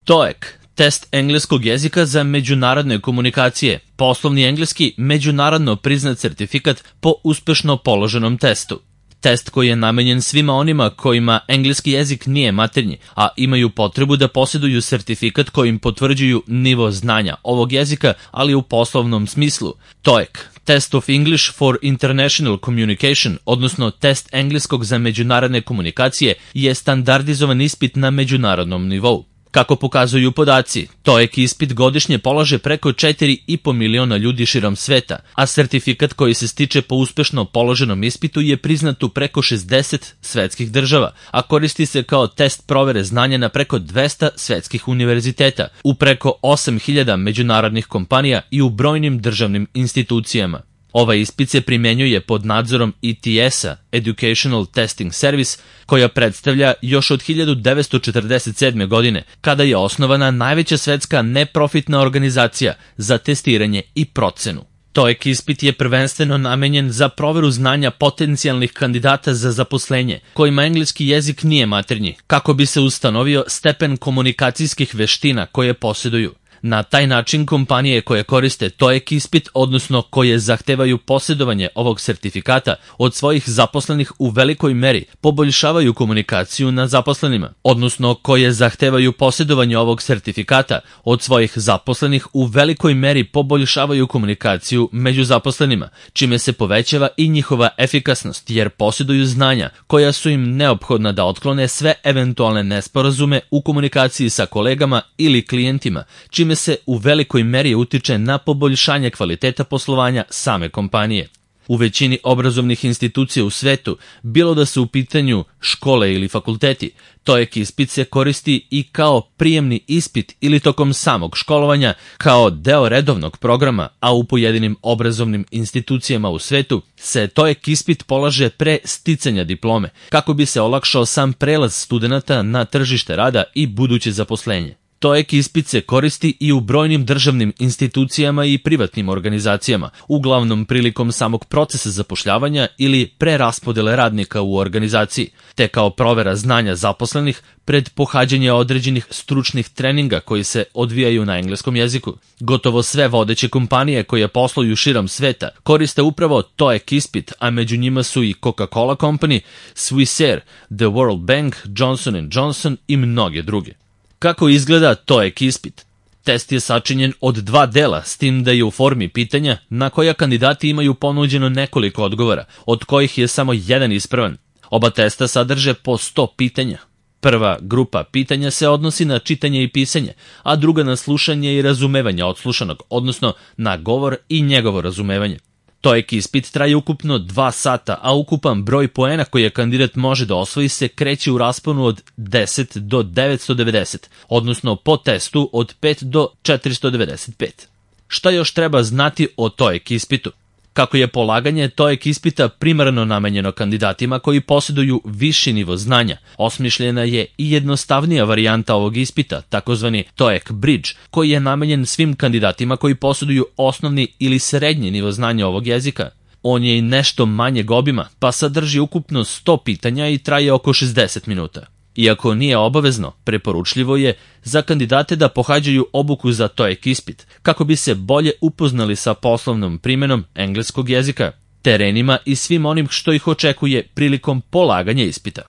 TOEIC, test engleskog jezika za međunarodne komunikacije, poslovni engleski međunarodno priznat sertifikat po uspešno položenom testu. Test koji je namenjen svima onima kojima engleski jezik nije maternji, a imaju potrebu da posjeduju sertifikat kojim potvrđuju nivo znanja ovog jezika, ali u poslovnom smislu. TOEIC, Test of English for International Communication, odnosno test engleskog za međunarodne komunikacije, je standardizovan ispit na međunarodnom nivou. Kako pokazuju podaci, TOEIC ispit godišnje polaže preko 4,5 miliona ljudi širom sveta, a sertifikat koji se stiče po uspešno položenom ispitu je priznat u preko 60 svetskih država, a koristi se kao test provere znanja na preko 200 svetskih univerziteta, u preko 8.000 međunarodnih kompanija i u brojnim državnim institucijama. Ovaj ispit se primjenjuje pod nadzorom ETS-a, Educational Testing Service, koja predstavlja još od 1947. godine, kada je osnovana najveća svetska neprofitna organizacija za testiranje i procenu. TOEIC ispit je prvenstveno namenjen za proveru znanja potencijalnih kandidata za zaposlenje, kojima engleski jezik nije maternji, kako bi se ustanovio stepen komunikacijskih veština koje posjeduju. Na taj način kompanije koje koriste TOEIC ispit, odnosno koje zahtevaju posjedovanje ovog sertifikata od svojih zaposlenih u velikoj meri poboljšavaju komunikaciju na zaposlenima, odnosno koje zahtevaju posjedovanje ovog sertifikata od svojih zaposlenih u velikoj meri poboljšavaju komunikaciju među zaposlenima, čime se povećava i njihova efikasnost jer posjeduju znanja koja su im neophodna da otklone sve eventualne nesporazume u komunikaciji sa kolegama ili klijentima, čime se u velikoj meri utiče na poboljšanje kvaliteta poslovanja same kompanije. U većini obrazovnih institucija u svetu, bilo da su u pitanju škole ili fakulteti, TOEIC ispit se koristi i kao prijemni ispit ili tokom samog školovanja kao deo redovnog programa, a u pojedinim obrazovnim institucijama u svetu se TOEIC ispit polaže pre sticanja diplome, kako bi se olakšao sam prelaz studenata na tržište rada i buduće zaposlenje. TOEIC ispit se koristi i u brojnim državnim institucijama i privatnim organizacijama, uglavnom prilikom samog procesa zapošljavanja ili preraspodele radnika u organizaciji, te kao provera znanja zaposlenih pred pohađanje određenih stručnih treninga koji se odvijaju na engleskom jeziku. Gotovo sve vodeće kompanije koje posluju širom sveta koriste upravo TOEIC ispit, a među njima su i Coca-Cola Company, Swissair, The World Bank, Johnson & Johnson i mnoge druge. Kako izgleda TOEIC ispit? Test je sačinjen od 2 dela, s tim da je u formi pitanja na koja kandidati imaju ponuđeno nekoliko odgovora, od kojih je samo jedan ispravan. Oba testa sadrže po 100 pitanja. Prva grupa pitanja se odnosi na čitanje i pisanje, a druga na slušanje i razumevanje odslušanog, odnosno na govor i njegovo razumevanje. TOEIC ispit traje ukupno 2 sata, a ukupan broj poena koje kandidat može da osvoji se kreće u rasponu od 10 do 990, odnosno po testu od 5 do 495. Šta još treba znati o TOEIC ispitu? Kako je polaganje TOEIC ispita primarno namenjeno kandidatima koji posjeduju viši nivo znanja, osmišljena je i jednostavnija varijanta ovog ispita, takozvani TOEIC Bridge, koji je namenjen svim kandidatima koji posjeduju osnovni ili srednji nivo znanja ovog jezika. On je i nešto manjeg obima, pa sadrži ukupno 100 pitanja i traje oko 60 minuta. Iako nije obavezno, preporučljivo je za kandidate da pohađaju obuku za TOEIC ispit, kako bi se bolje upoznali sa poslovnom primenom engleskog jezika, terenima i svim onim što ih očekuje prilikom polaganja ispita.